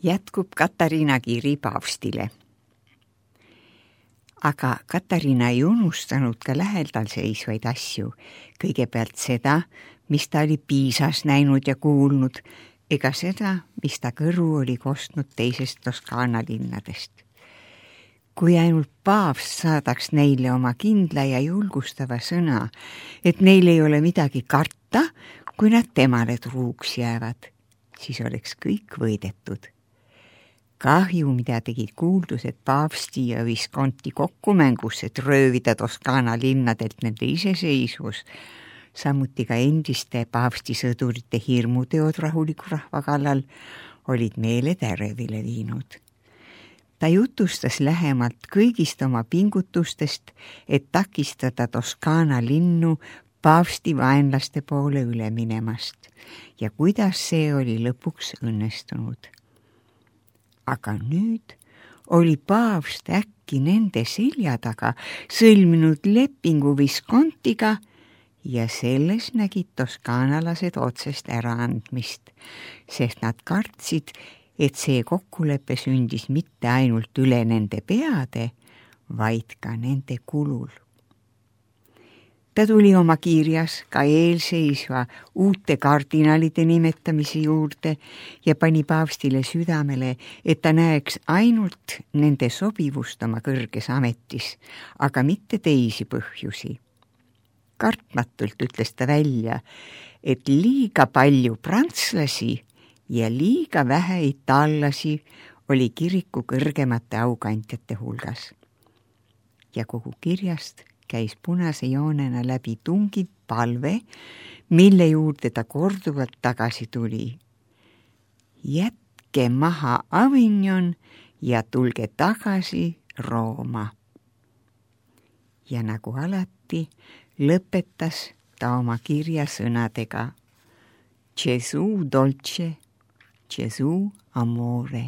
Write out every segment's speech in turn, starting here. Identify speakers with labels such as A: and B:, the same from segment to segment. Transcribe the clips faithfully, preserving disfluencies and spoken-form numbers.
A: Jätkub Katariina kiri paavstile. Aga Katariina ei unustanud ka lähedal seisvaid asju, kõigepealt seda, mis ta oli Piisas näinud ja kuulnud, ega seda, mis ta kõrvu oli kostnud teisest Toskaana linnadest. Kui ainult paavst saadaks neile oma kindla ja julgustava sõna, et neil ei ole midagi karta, kui nad temale truuks jäävad, siis oleks kõik võidetud. Kahju, mida tegid kuuldused paavsti ja Visconti kokkumängus, et röövida Toskaana linnadelt nende iseseisvus, samuti ka endiste paavsti sõdurite hirmuteod rahuliku rahva kallal, olid meeled ärevile viinud. Ta jutustas lähemalt kõigist oma pingutustest, et takistada Toskaana linnu paavsti vaenlaste poole üle minemast ja kuidas see oli lõpuks õnnestunud. Aga nüüd oli paavst äkki nende selja taga sõlminud lepingu Viscontiga ja selles nägid toskaanalased otsest äraandmist, sest nad kartsid, et see kokkulepe sündis mitte ainult üle nende peade, vaid ka nende kulul. Ta tuli oma kirjas ka eelseisva uute kardinalide nimetamise juurde ja pani paavstile südamele, et ta näeks ainult nende sobivust oma kõrges ametis, aga mitte teisi põhjusi. Kartmatult ütles ta välja, et liiga palju prantslasi ja liiga vähe itaallasi oli kiriku kõrgemate aukandjate hulgas. Ja kogu kirjast käis punase joonena läbi tungiv palve, mille juurde ta korduvalt tagasi tuli. Jätke maha Avignon ja tulge tagasi Rooma. Ja nagu alati lõpetas ta oma kirja sõnadega Gesù dolce, Gesù amore.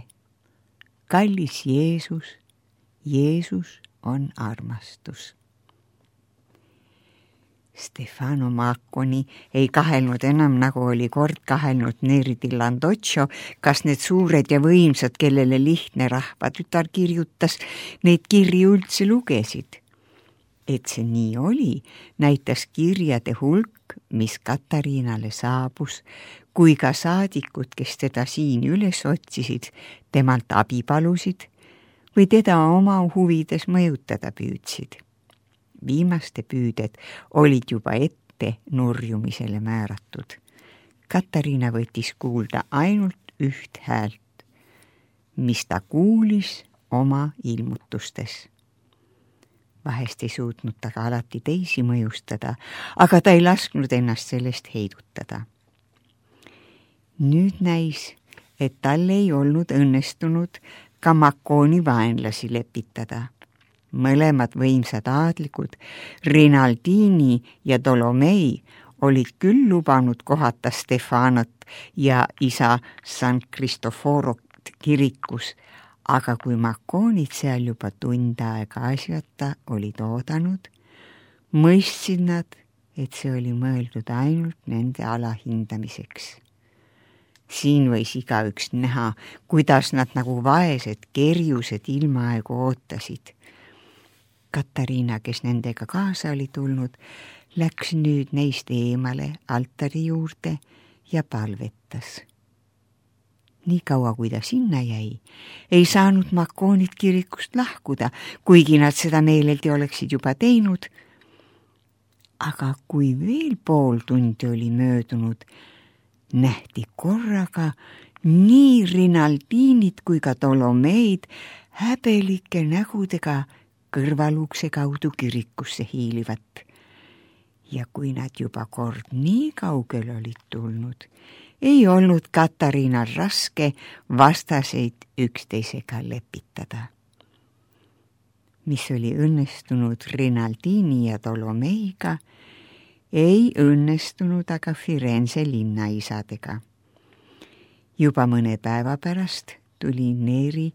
A: Kallis Jeesus, Jeesus on armastus. Stefano Macconi ei kahelnud enam, nagu oli kord kahelnud Neri di Landoccio, kas need suured ja võimsad, kellele lihtne rahvatütar kirjutas, neid kirju üldse lugesid. Et see nii oli, näitas kirjade hulk, mis Katariinale saabus, kui ka saadikud, kes teda siin üles otsisid, temalt abi palusid või teda oma huvides mõjutada püüdsid. Viimaste püüded olid juba ette nurjumisele määratud. Katariina võttis kuulda ainult üht häält, mis ta kuulis oma ilmutustes. Vahest ei suutnud ta ka alati teisi mõjustada, aga ta ei lasknud ennast sellest heidutada. Nüüd näis, et tal ei olnud õnnestunud ka Macconi vaenlasi lepitada. Mõlemad võimsad aadlikud, Rinaldini ja Tolomei, olid küll lubanud kohata Stefanot ja isa San Cristoforot kirikus, aga kui Macconid seal juba tund aega asjata olid oodanud, mõistsid nad, et see oli mõeldud ainult nende alahindamiseks. Siin võis igaüks näha, kuidas nad nagu vaesed kerjused ilmaaegu ootasid. Katariina, kes nendega kaasa oli tulnud, läks nüüd neist eemale altari juurde ja palvetas. Nii kaua, kui ta sinna jäi, ei saanud Macconid kirikust lahkuda, kuigi nad seda meeleldi oleksid juba teinud. Aga kui veel pool tundi oli möödunud, nähti korraga nii Rinaldinit kui ka Tolomeid häbelike nägudega kõrvalukse kaudu kirikusse hiilivat. Ja kui nad juba kord nii kaugel olid tulnud, ei olnud Katariinal raske vastaseid üksteisega lepitada. Mis oli õnnestunud Rinaldini ja Tolomeiga, ei õnnestunud aga Firenze linnaisadega. Juba mõne päeva pärast tuli Neri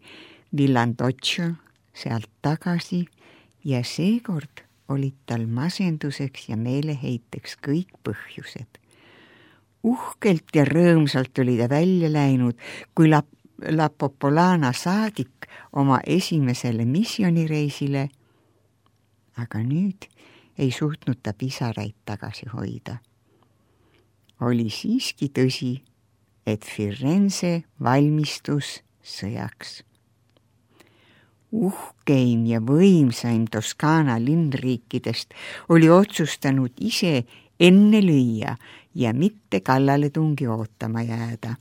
A: di Landoccio sealt tagasi ja seekord olid tal masenduseks ja meeleheiteks kõik põhjused. Uhkelt ja rõõmsalt oli ta välja läinud, kui La Popolana saadik oma esimesele missioonireisile, aga nüüd ei suutnud ta pisaraid tagasi hoida. Oli siiski tõsi, et Firenze valmistus sõjaks. Uhkeim ja võimsaim Toskaana linnriikidest oli otsustanud ise enne lüüa ja mitte kallaletungi ootama jääda.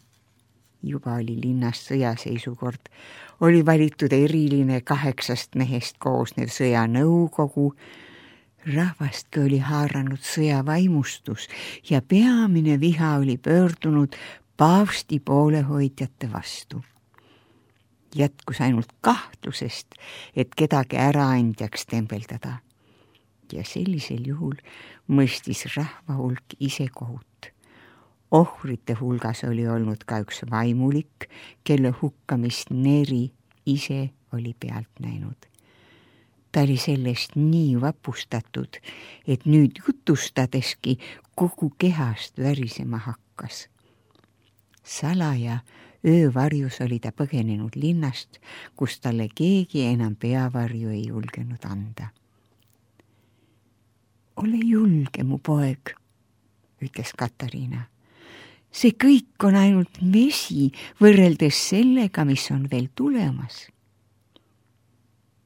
A: Juba oli linnas sõjaseisukord, oli valitud eriline kaheksast mehest koosnev sõjanõukogu, rahvastki oli haaranud sõjavaimustus ja peamine viha oli pöördunud paavsti poolehoidjate vastu. Jätkus ainult kahtlusest, et kedagi äraandjaks tembeldada. Ja sellisel juhul mõistis rahva hulk ise kohut. Ohvrite hulgas oli olnud ka üks vaimulik, kelle hukkamist Neri ise oli pealt näinud. Ta oli sellest nii vapustatud, et nüüd jutustadeski kogu kehast värisema hakkas. Salaja öövarjus oli ta põgenenud linnast, kus talle keegi enam peavarju ei julgenud anda. Ole julge, mu poeg, ütles Katariina. See kõik on ainult vesi võrreldes sellega, mis on veel tulemas.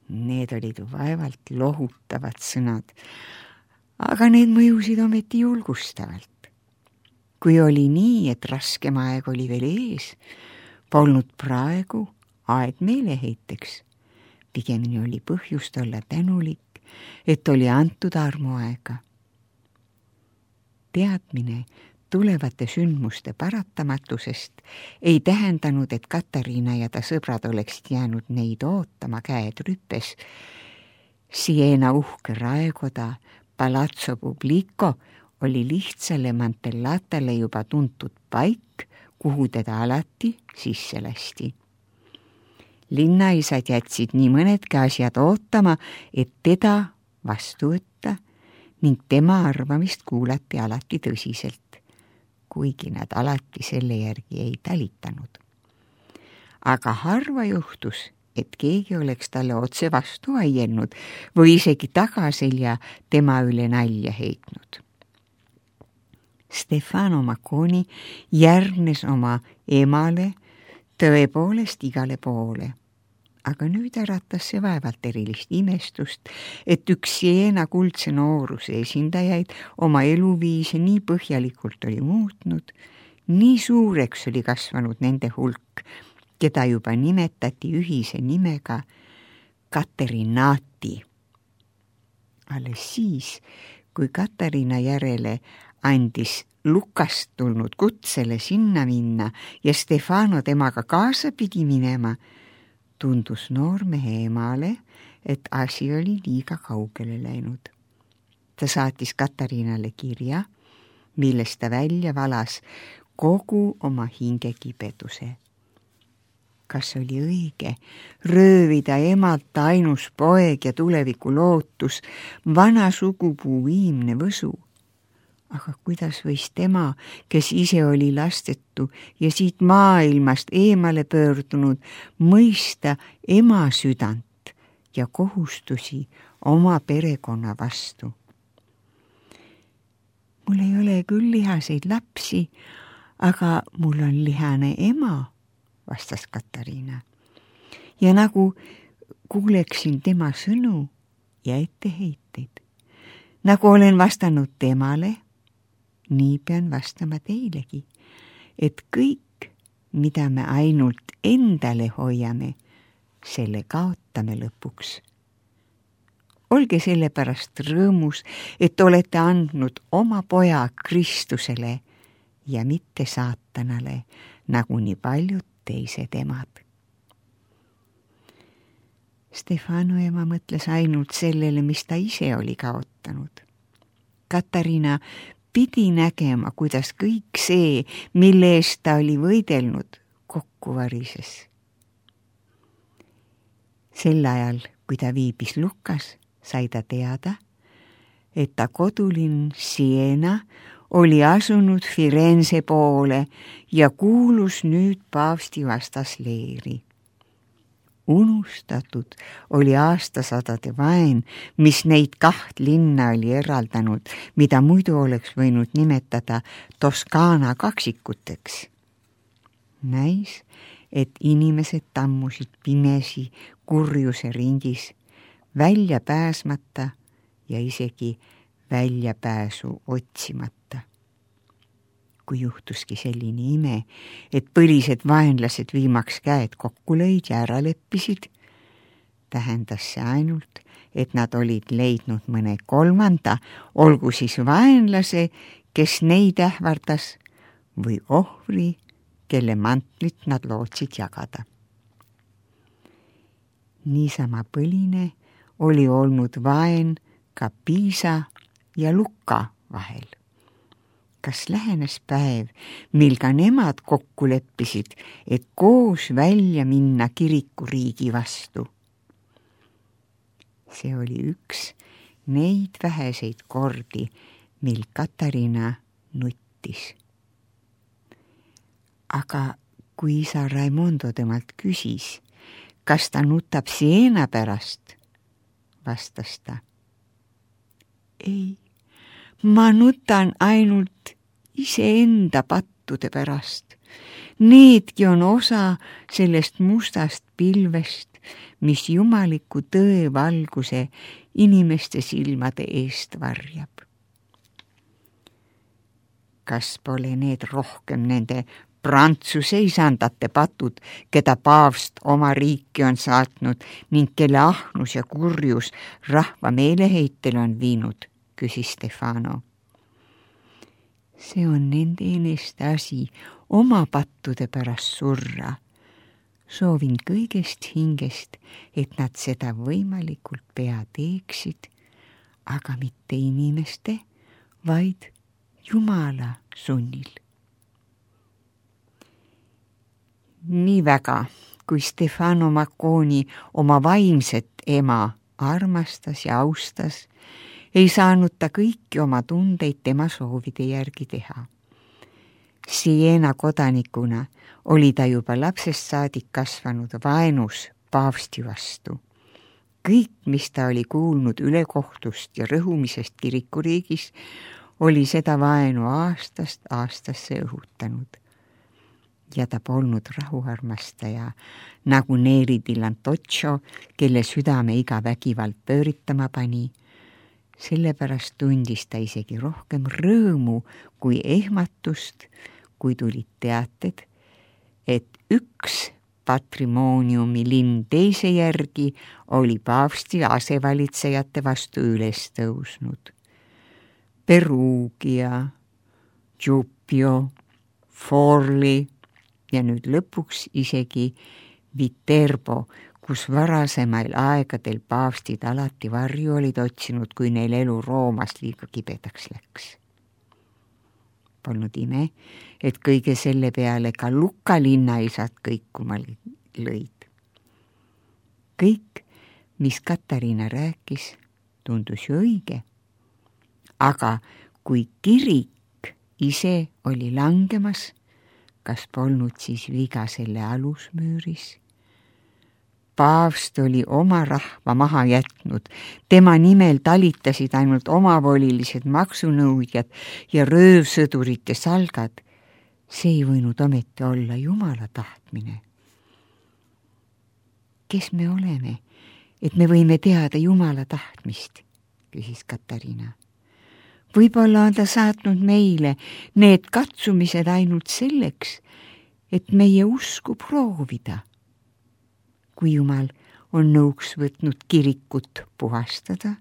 A: Need olid vaevalt lohutavad sõnad, aga need mõjusid ometi julgustavalt. Kui oli nii, et raskem aeg oli veel ees, polnud praegu aeg meeleheiteks. Pigemini oli põhjust olla tänulik, et oli antud armuaega. Teadmine tulevate sündmuste paratamatusest ei tähendanud, et Katariina ja ta sõbrad oleksid jäänud neid ootama käed rüppes. Siena uhke raekoda, Palazzo Publico, oli lihtsale Mantellatale juba tuntud paik, kuhu teda alati sisse lasti. Linnaisad jätsid nii mõnedki asjad ootama, et teda vastu võtta ning tema arvamist kuulati alati tõsiselt, kuigi nad alati selle järgi ei talitanud. Aga harva juhtus, et keegi oleks talle otse vastu aielnud või isegi tagaselja tema üle nalja heitnud. Stefano Macconi järgnes oma emale tõepoolest igale poole, aga nüüd äratas see vaevalt erilist imestust, et üks Siena kuldse nooruse esindajaid oma eluviise nii põhjalikult oli muutnud, nii suureks oli kasvanud nende hulk, keda juba nimetati ühise nimega Katerinati. Alles siis, kui Katariina järele andis Lukast tulnud kutsele sinna minna ja Stefano temaga kaasa pidi minema, tundus noormehe emale, et asi oli liiga kaugele läinud. Ta saatis Katariinale kirja, milles ta välja valas kogu oma hingekibeduse. Kas oli õige röövida emalt ainus poeg ja tuleviku lootus, vana sugupuu viimne võsu? Aga kuidas võis tema, kes ise oli lastetu ja siit maailmast eemale pöördunud, mõista ema südant ja kohustusi oma perekonna vastu? Mul ei ole küll lihaseid lapsi, aga mul on lihane ema, vastas Katariina. Ja nagu kuuleksin tema sõnu ja etteheiteid. Nagu olen vastanud temale, nii pean vastama teilegi, et kõik, mida me ainult endale hoiame, selle kaotame lõpuks. Olge selle pärast rõõmus, et olete andnud oma poja Kristusele ja mitte saatanale, nagu nii paljud teised emad. Stefano ema mõtles ainult sellele, mis ta ise oli kaotanud. Katariina pidi nägema, kuidas kõik see, mille eest ta oli võidelnud, kokku varises. Sel ajal, kui ta viibis Lukas, sai ta teada, et ta kodulinn Siena oli asunud Firenze poole ja kuulus nüüd paavsti vastasleeri. Unustatud oli aastasadade vaen, mis neid kaht linna oli eraldanud, mida muidu oleks võinud nimetada Toskaana kaksikuteks. Näis, et inimesed tammusid pimesi kurjuse ringis, välja pääsmata ja isegi väljapääsu otsimata. Kui juhtuski selline ime, et põlised vaenlased viimaks käed kokku lõid ja ära leppisid, tähendas see ainult, et nad olid leidnud mõne kolmanda, olgu siis vaenlase, kes neid ähvardas, või ohvri, kelle mantlit nad lootsid jagada. Niisama põline oli olnud vaen ka Piisa ja Lucca vahel. Kas lähenes päev, mil ka nemad kokku leppisid, et koos välja minna kirikuriigi vastu? See oli üks neid väheseid kordi, mil Katariina nuttis. Aga kui isa Raimondo temalt küsis, kas ta nutab Siena pärast, vastas ta. Ei, ma nutan ainult iseenda pattude pärast. Needki on osa sellest mustast pilvest, mis jumaliku tõe valguse inimeste silmade eest varjab. Kas pole need rohkem nende Prantsuse isandate patud, keda paavst oma riiki on saatnud ning kelle ahnus ja kurjus rahva meeleheitel on viinud, küsis Stefano. See on nende eneste asi oma pattude pärast surra. Soovin kõigest hingest, et nad seda võimalikult pea teeksid, aga mitte inimeste, vaid Jumala sunnil. Nii väga, kui Stefano Macconi oma vaimset ema armastas ja austas, ei saanud ta kõiki oma tundeid tema soovide järgi teha. Siena kodanikuna oli ta juba lapsest saadik kasvanud vaenus paavsti vastu. Kõik, mis ta oli kuulnud ülekohtust ja rõhumisest kirikuriigis, oli seda vaenu aastast aastasse õhutanud. Ja ta polnud rahuarmastaja, nagu Neri di Lantoccio, kelle südame iga vägivald pööritama pani. Sellepärast tundis ta isegi rohkem rõõmu kui ehmatust, kui tulid teated, et üks patrimooniumi linn teise järgi oli paavsti asevalitsejate vastu üles tõusnud. Perugia, Giuppio, Forli ja nüüd lõpuks isegi Viterbo, kus varasemail aegadel paavstid alati varju olid otsinud, kui neil elu Roomas liiga kibedaks läks. Polnud ime, et kõige selle peale ka Lucca linnaisad kõikuma lõid. Kõik, mis Katariina rääkis, tundus ju õige. Aga kui kirik ise oli langemas, kas polnud siis viga selle alusmüüris? Paavst oli oma rahva maha jätnud, tema nimel talitasid ainult omavolilised maksunõudjad ja röövsõdurite salgad. See ei võinud ometi olla Jumala tahtmine. Kes me oleme, et me võime teada Jumala tahtmist, küsis Katariina. Võib-olla on ta saatnud meile need katsumised ainult selleks, et meie usku proovida. Kui Jumal on nõuks võtnud kirikut puhastada,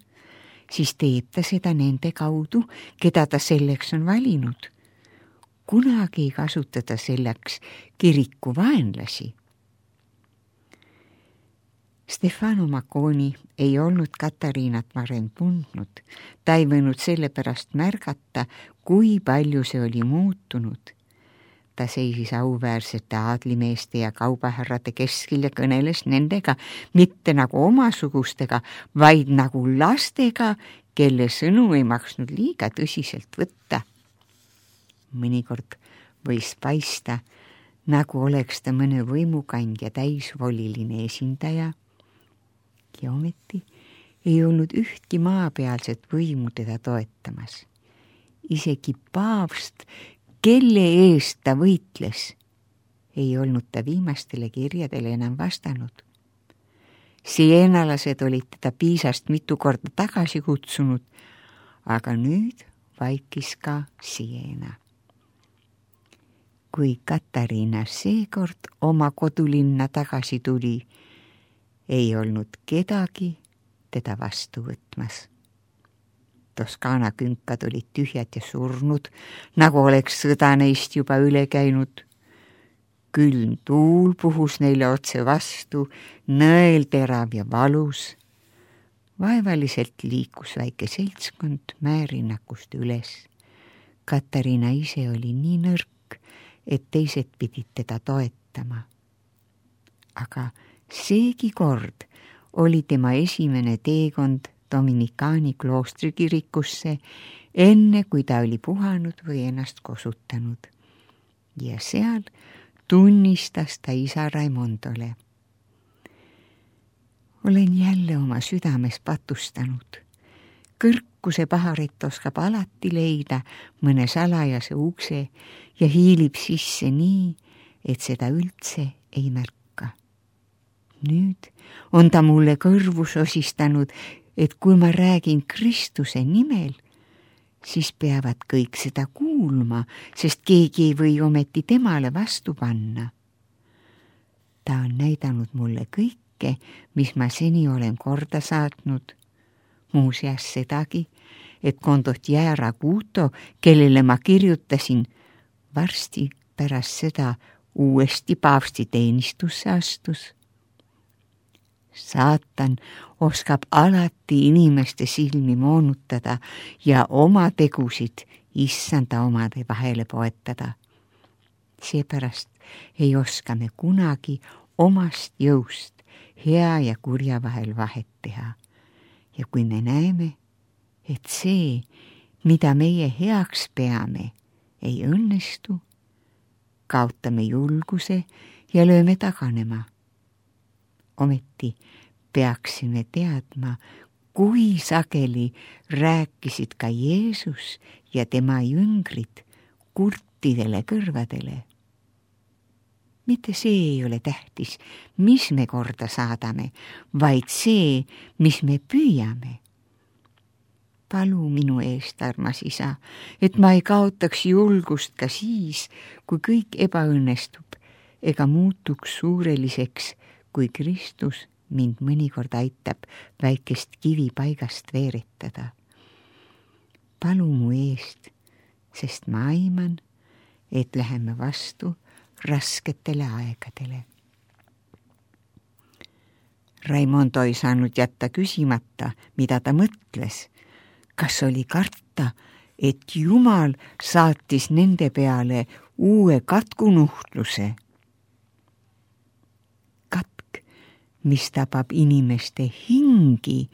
A: siis teeb ta seda nende kaudu, keda ta selleks on valinud. Kunagi ei kasutada selleks kiriku vaenlasi. Stefano Macconi ei olnud Katariinat varem tundnud. Ta ei võinud sellepärast märgata, kui palju see oli muutunud. Ta seisis auväärsete aadlimeeste ja kaubahärrade keskil ja kõneles nendega mitte nagu omasugustega, vaid nagu lastega, kelle sõnu ei maksnud liiga tõsiselt võtta. mõnikord võis paista, nagu oleks ta mõne võimukandja täisvoliline esindaja ja ometi ei olnud ühtki maapealset võimu teda toetamas. Isegi paavst, kelle eest ta võitles, ei olnud ta viimastele kirjadele enam vastanud. Sienalased olid teda Piisast mitu korda tagasi kutsunud, aga nüüd vaikis ka Siena. Kui Katariina seekord oma kodulinna tagasi tuli, ei olnud kedagi teda vastu võtmas. Toskaana künkad olid tühjad ja surnud, nagu oleks sõda neist juba üle käinud. Külm tuul puhus neile otse vastu, nõel terav ja valus. Vaevaliselt liikus väike seltskond mäerinnakust üles. Katariina ise oli nii nõrk, et teised pidid teda toetama. Aga seegi kord oli tema esimene teekond Dominikaani kloostrikirikusse, enne kui ta oli puhanud või ennast kosutanud. Ja seal tunnistas ta isa Raimondole. Olen jälle oma südames patustanud. Kõrkuse paharet oskab alati leida mõne salajase ukse ja hiilib sisse nii, et seda üldse ei märka. Nüüd on ta mulle kõrvu sosistanud, et kui ma räägin Kristuse nimel, siis peavad kõik seda kuulma, sest keegi ei või ometi temale vastu panna. Ta on näidanud mulle kõike, mis ma seni olen korda saatnud. Muuseas sedagi, et kondot Jäära Kuuto, kellele ma kirjutasin, varsti pärast seda uuesti paavsti teenistusse astus. Saatan oskab alati inimeste silmi moonutada ja oma tegusid issanda omade vahele poetada. Seepärast ei oska me kunagi omast jõust hea ja kurja vahel vahet teha. Ja kui me näeme, et see, mida meie heaks peame, ei õnnestu, kaotame julguse ja lööme taganema. Ometi peaksime teadma, kui sageli rääkisid ka Jeesus ja tema jüngrid kurtidele kõrvadele. Mitte see ei ole tähtis, mis me korda saadame, vaid see, mis me püüame. Palu minu eest, armas isa, et ma ei kaotaks julgust ka siis, kui kõik ebaõnnestub ega muutuks suureliseks, kui Kristus mind mõnikord aitab väikest kivi paigast veeretada. Palu mu eest, sest ma aiman, et läheme vastu rasketele aegadele. Raimondo ei saanud jätta küsimata, mida ta mõtles. Kas oli karta, et Jumal saatis nende peale uue katkunuhtluse? Katk, mis tapab inimeste hingi,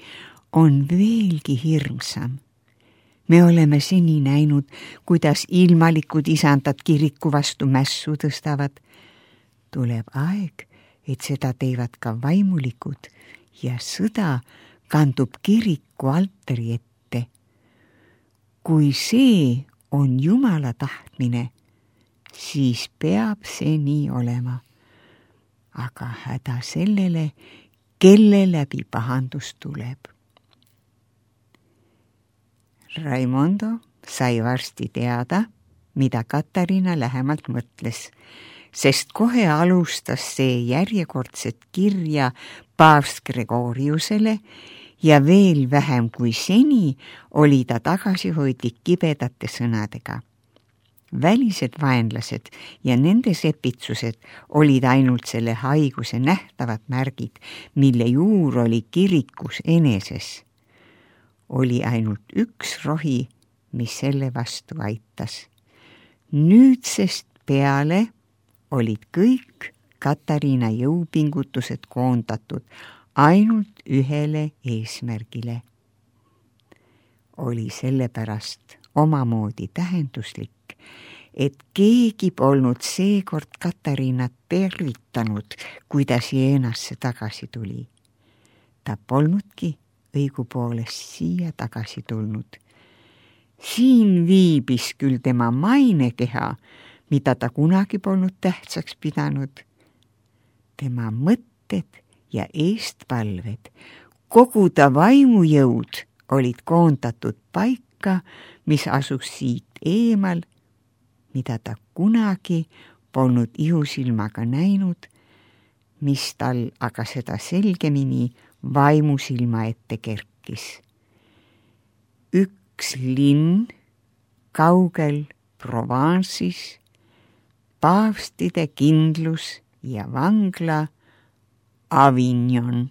A: on veelgi hirmsam. Me oleme seni näinud, kuidas ilmalikud isandad kiriku vastu mässu tõstavad. Tuleb aeg, et seda teevad ka vaimulikud ja sõda kandub kiriku altari ette. Kui see on Jumala tahtmine, siis peab see nii olema. Aga häda sellele, kelle läbi pahandus tuleb. Raimondo sai varsti teada, mida Katariina lähemalt mõtles, sest kohe alustas see järjekordset kirja paavst Gregoriusele ja veel vähem kui seni oli ta tagasihoidlik kibedate sõnadega. Välised vaenlased ja nende sepitsused olid ainult selle haiguse nähtavad märgid, mille juur oli kirikus eneses. Oli ainult üks rohi, mis selle vastu aitas. Nüüdsest peale olid kõik Katariina jõupingutused koondatud ainult ühele eesmärgile. Oli sellepärast omamoodi tähenduslik, et keegi polnud seekord Katariinat tervitanud, kui ta Sienasse tagasi tuli. Ta polnudki õigupoolest siia tagasi tulnud. Siin viibis küll tema mainekeha, mida ta kunagi polnud tähtsaks pidanud. Tema mõtted ja eestpalved, kogu ta vaimujõud olid koondatud paika, mis asus siit eemal, mida ta kunagi polnud ihusilmaga näinud, mis tal aga seda selgemini vaimusilma ette kerkis. Üks linn kaugel Provence'is, paavstide kindlus ja vangla Avignon.